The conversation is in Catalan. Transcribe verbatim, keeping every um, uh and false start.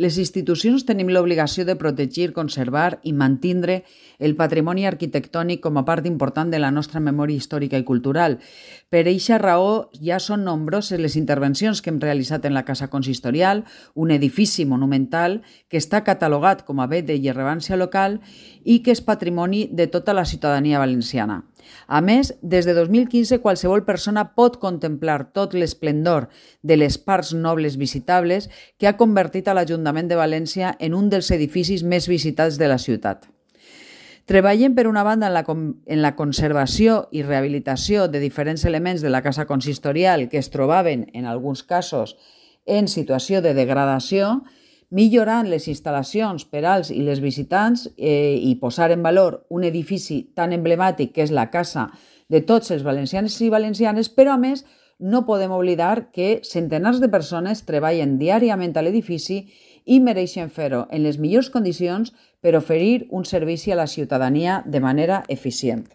Les institucions tenim l'obligació de protegir, conservar i mantindre el patrimoni arquitectònic com a part important de la nostra memòria històrica i cultural. Per eixa raó, ja són nombroses les intervencions que hem realitzat en la Casa Consistorial, un edifici monumental que està catalogat com a bé de rellevància local i que és patrimoni de tota la ciutadania valenciana. A més, des de dos mil quinze, qualsevol persona pot contemplar tot l'esplendor de les parts nobles visitables que ha convertit a l'Ajuntament de València en un dels edificis més visitats de la ciutat. Treballem, per una banda, en la, en la conservació i rehabilitació de diferents elements de la Casa Consistorial que es trobaven, en alguns casos, en situació de degradació, millorant les instal·lacions per als i les visitants eh, i posar en valor un edifici tan emblemàtic que és la casa de tots els valencians i valencianes, però a més no podem oblidar que centenars de persones treballen diàriament a l'edifici i mereixen fer-ho en les millors condicions per oferir un servici a la ciutadania de manera eficient.